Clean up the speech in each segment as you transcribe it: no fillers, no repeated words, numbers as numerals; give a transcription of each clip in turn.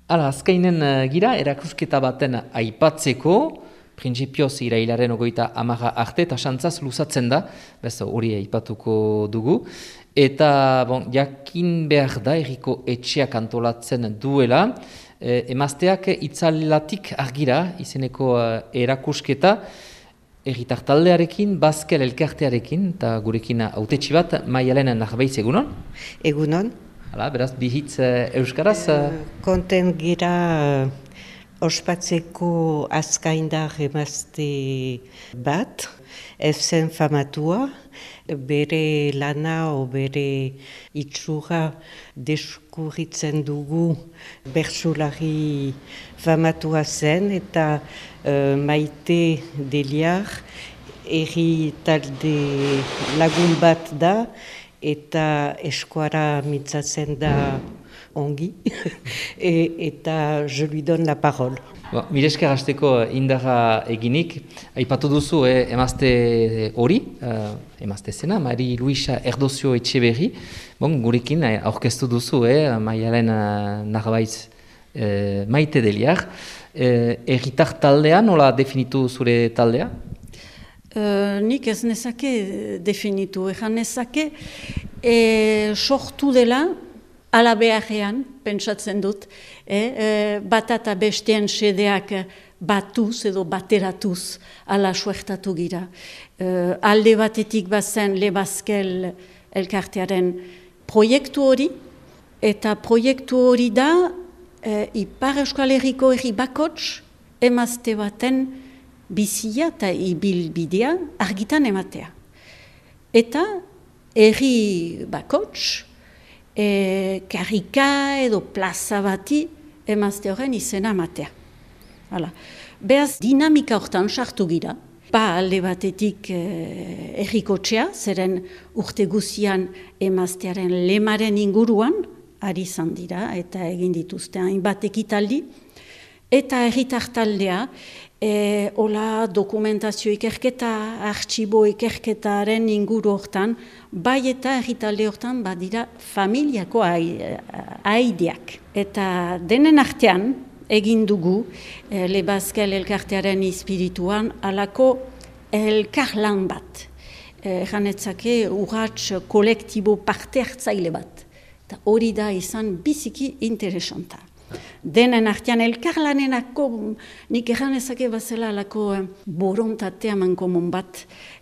Hala, azkainen gira, erakusketa baten aipatzeko, printzipioz irailaren 30 arte, eta santzaz luzatzen da, bez hori aipatuko dugu. Eta, jakin behar da, erriko etxeak antolatzen duela, emazteak itzalatik argira, izeneko erakusketa, erritar taldearekin, Baskel elkartearekin, eta gurekin hautetsi bat, Maialen Narbaiz, egunon? Egunon. Hala, beraz, bihitz euskaraz? Konten gira ospatzeko azkaindar emazte bat, ez zen famatua, bere lana o bere itxura deskurritzen dugu bertsolari famatua zen, eta Maite Deliar erri talde lagun bat da, eta eskuara mitzatzen da ongi, eta je lui donne la parole. Mire esker hasteko indarra eginik, aipatu duzu emazte hori, emazte zena, Mari Luisa Erdozio Etxeberri, gurekin aurkeztu duzu, Maialen Narbaiz Maite Deliar. Erritar taldea, nola definitu zure taldea? Nik ez nezake definitu, ezan nezake sortu dela ala beharrean, pentsatzen dut, bata eta besteen sedeak batuz edo bateratuz ala suertatu gira. Alde batetik bazen Le Baskel elkartearen proiektu hori, eta proiektu hori da Ipar Euskal Herriko herri bakots emazte baten bizia eta ibilbidea argitan ematea. Eta herri bakots, karrika edo plaza bati emazte horren izena ematea. Beaz, dinamika hortan sartu gira. Alde batetik herrikotxea, zeren urte guzian emaztearen lemaren inguruan, ari izan dira eta egin dituzte hainbat ekitaldi, eta herritar taldea, hola dokumentazio ikerketa, artxibo ikerketaren inguru hortan, bai eta herritalde hortan badira familiako aideak. Eta denen artean egin dugu Le Baskel elkartearen espirituan alako elkarlan bat. Janetzake urrats kolektibo parte hartzaile bat. Eta hori da izan biziki interesanta. Denen artean elkarlanenako nik erranezake bazela alako borontatea mankomon bat.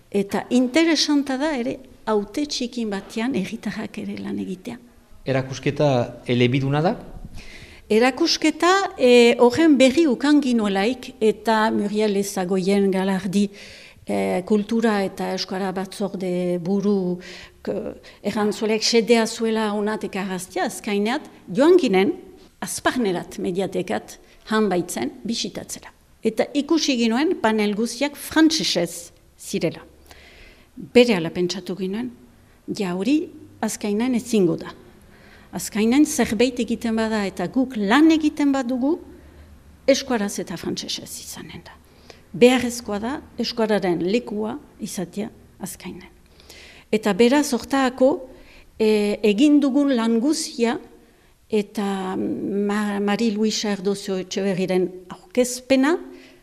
Eta interesanta da ere haute txikin batean erritarrak ere lan egitea. Erakusketa elebiduna da? Erakusketa horren berri ukanginoelaik eta Muriel Ezagoien galardi kultura eta euskara batzorde buru errantzuelek sedea zuela honatek arraztia azkaineat, joan ginen azparnerat mediatekat hanbaitzen bisitatzera. Eta ikusi ginoen panel guztiak frantsesez zirela. Bere ala pentsatu ginoen, hori azkainain ezingo da. Azkainain zerbait egiten bada eta guk lan egiten badugu, eskuaraz eta frantsesez izanen da. Beharrezkoa da eskuararen lekua izatea azkainen. Eta beraz hortaako egin dugun lan guztia eta Mari Luisa Erdozio Etxeberriren aurkezpena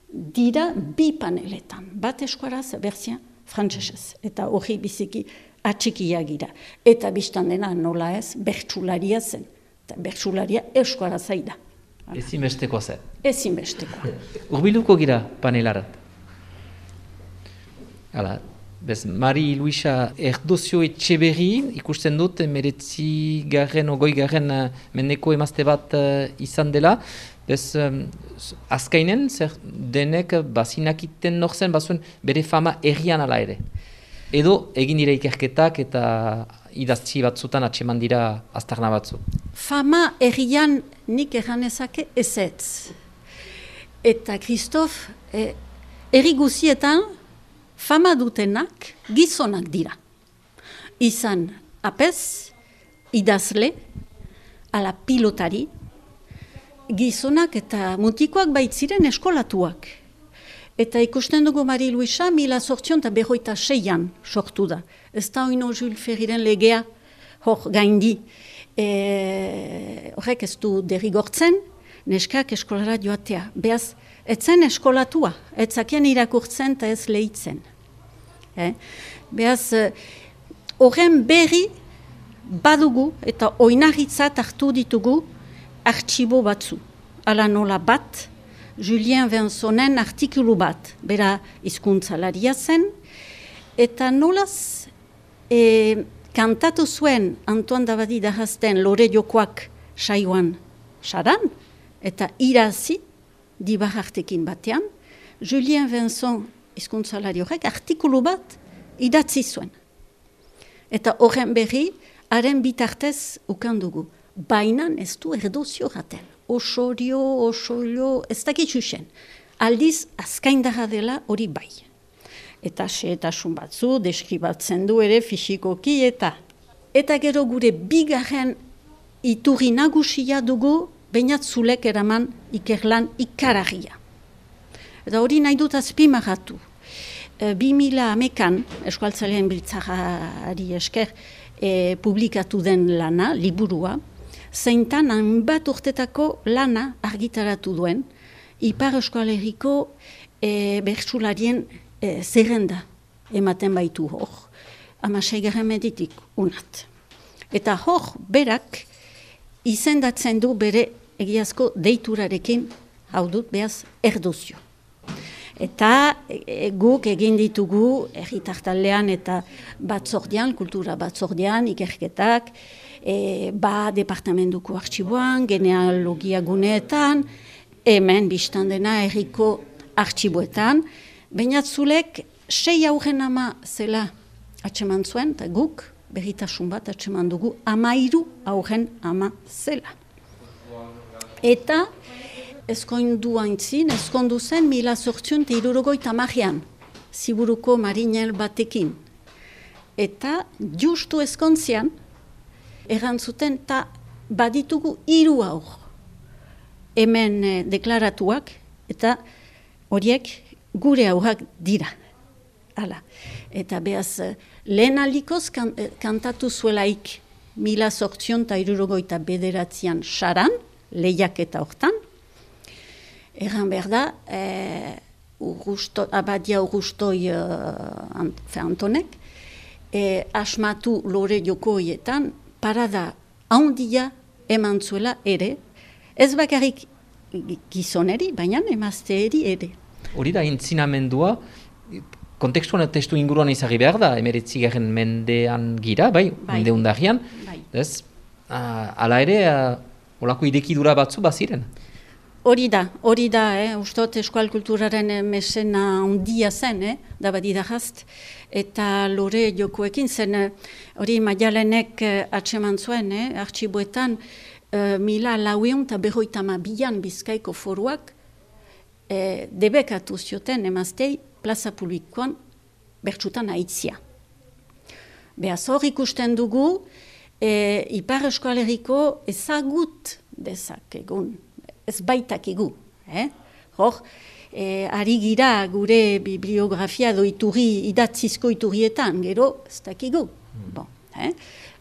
dira bi paneletan. Bat eskuaraz, berzia frantsesez. Eta hori biziki atxikia gira. Eta biztan dena nola ez, bertsularia zen. Eta bertsularia eskuaraz da. Ezinbesteko zen. Ezinbesteko. Urbiluko gira panelarat. Hala, bez, Mari Luisa Erdozio Etxeberri, ikusten dut, 19. mendeko emazte bat izan dela. Bez, azkainen, zer denek bazinakiten norzen, bazuen bere fama errian ala ere. Edo egin dira ikerketak eta idaztzi batzutan atseman dira aztarna batzu. Fama errian nik erranezake ezetz. Eta Kristof, erri guzietan fama dutenak gizonak dira. Izan apez, idazle, ala pilotari, gizonak eta mutikoak baitziren eskolatuak. Eta ikusten dugu Mari Luisa 1856an sortu da. Ez da oino Jules Ferriren legea hor gaindi. Horrek ez du derrigortzen, neskak eskolara joatea. Beaz, etzen eskolatua, etzakien irakurtzen eta ez lehitzen. Beaz, horren berri badugu eta oinarritzat hartu ditugu artxibo batzu. Ala nola bat, Julien Vinsonen artikulu bat, bera hizkuntzalaria zen, eta nolaz kantatu zuen Antoine Dabadi dahazten Lore Jokoak saioan saran, eta irazi dibahartekin batean, Julien Vinson hizkuntzalari horrek artikulu bat idatzi zuen. Eta horren berri, haren bitartez ukandugu. Bainan ez du erdozio gaten. Osorio, ez dakitxusen. Aldiz, azkaindarra dela hori bai. Eta xehetasun batzu, deskribatzen du ere fisikoki eta gero gure bigarren iturri nagusia dugu, bainat zulek eraman ikerlan ikaragia. Eta hori nahi dut azpimarratu. 2011an, Euskaltzalean Biltzarrari esker, publikatu den lana, liburua, zeintan hainbat urtetako lana argitaratu duen, Ipar Euskal Herriko bertsularien zerrenda ematen baitu hor, 16. meditik unat. Eta hor berak izendatzen du bere egiazko deiturarekin, hau dut behaz erdozio. Eta guk egin ditugu herritartaldean eta batzordean, kultura batzordean, ikerketak, departamentuko artxiboan, genealogia guneetan, hemen biztan dena herriko artxiboetan, baina zulek 6 aurren ama zela atseman zuen, eta guk berritasun bat atseman dugu 13 aurren ama zela. Eta ezkondu zen 1860an, Ziburuko marinel batekin. Eta justu ezkontzian, errantzuten, eta baditugu 3 aur. Hemen deklaratuak, eta horiek gure aurrak dira. Hala. Eta behaz, lehen aldikoz kantatu zuelaik 1869an saran, lehiaketa hortan. Erran behar da, Abadia Urrustoi Antonek, asmatu Lore Jokoietan, parada handia eman zuela ere, ez bakarrik gizoneri, baina emazteeri ere. Hori da, intzinamendua, kontekstuan eta testu inguruan izagi behar da, 19. mendean gira, mende undarrian, ez? Hala ere, olako idekidura batzu baziren? Hori da, ustot eskual kulturaren mesena handia zen, Dabadi dahast, eta Lore Jokoekin zen, hori Maialenek atseman zuen, artxiboetan, 1952an Bizkaiko foruak debekatu zioten emaztei plaza publikoan bertsutan aitzia. Behaz hor ikusten dugu, Ipar Euskal Herriko ezagut dezakegun, ez baitakigu. Hor, ari gira gure bibliografia iturri, idatzizko iturrietan, gero ez dakigu.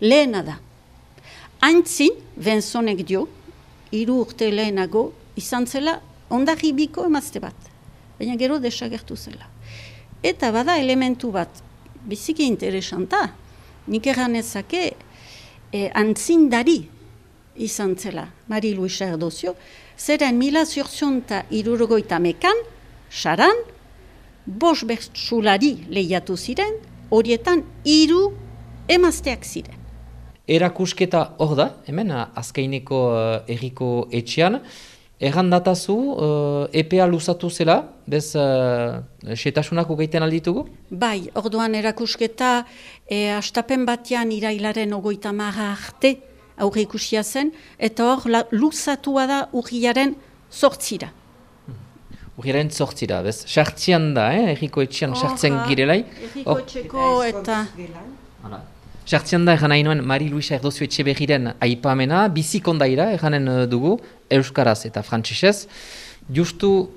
Lehena da. Aintzin, Vinsonek dio, 3 urte lehenago, izan zela ondarribiko emazte bat. Baina gero desagertu zela. Eta bada elementu bat, biziki interesanta, nik erranezake antzindari izan zela, Mari Luisa Erdozio, zeren 1863an, saran, 5 bertsulari lehiatu ziren, horietan 3 emazteak ziren. Erakusketa hor da, hemen azkaineko herriko etxean, errandatazu, EPA luzatu zela, bez setasunak ugeiten alditugu? Bai, orduan erakusketa astapen batean irailaren 30 arte aurre ikusia zen, eta hor luzatua da urriaren 8. Urriaren 8, bez? Sartzian da, herriko etxean sartzen girelai. Herriko etxeko eta... Sartzian da egan nahi nuen Mari Luisa Erdozio Etxeberriren aipamena, bizikondaira eganen dugu, euskaraz eta frantsesez. Justu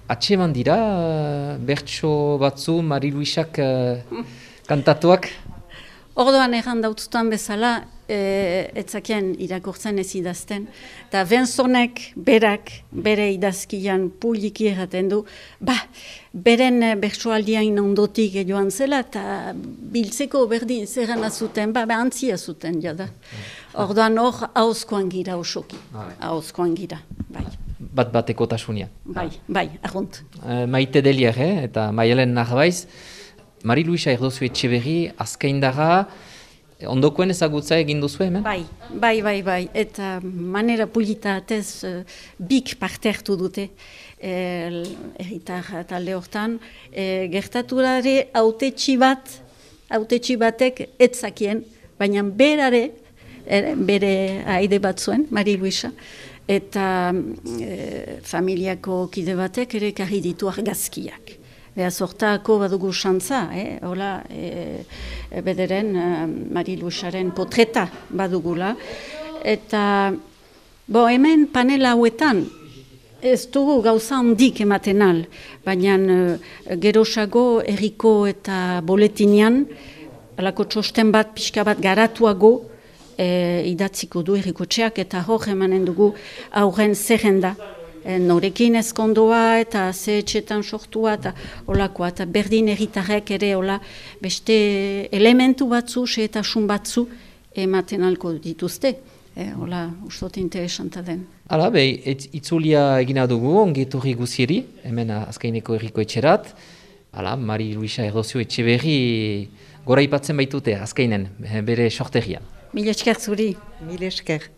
atseman dira, bertso batzu Mari Luisak kantatuak? Ordoan erran dautzutan bezala, etzakien irakurtzen ez idazten, eta Benzonek berak, bere idazkian publiki erraten du, beren bertsoaldiain ondotik joan zela, eta biltzeko berdin zerrana zuten, antzia zuten jada. Ordoan hor, hauzkoan gira osoki, hauzkoan gira, bai. Bat-bateko tasunia. Bai, arrunt. Maite Delier, eta Maialen Narbaiz, Mari Luisa Erdozu Etxeberri, azkaindara, ondokoen ezagutza egin duzu hemen? Bai. Eta manera polita atez bik parte hartu dute erritar talde hortan. Gertaturare autetxi batek etzakien, baina bere aide bat zuen, Mari Luisa, eta familiako kide batek ere karri ditu argazkiak. Beaz, hortako badugu xantza, hola, bederen Mari Luisaren potreta badugula. Eta, hemen panela hauetan, ez dugu gauza handik ematen al, baina gerosago erriko eta boletinean, alako txosten bat, pixka bat garatuago, idatziko du errikotxeak, eta hor emanen dugu aurren zerrenda. Norekin ezkondoa eta ze etxetan sortua eta olakoa, eta berdin erritarrek ere beste elementu batzu, xehetasun batzu ematen alko dituzte. Ustote interesanta den. Hala, itzulia egina dugu, ongetorri guzieri, hemen azkaineko erriko etxerat. Hala, Mari Luisa Erdozu Etxeberri gora ipatzen baitute azkainen, bere sortegian. Mil esker zuri. Mil esker.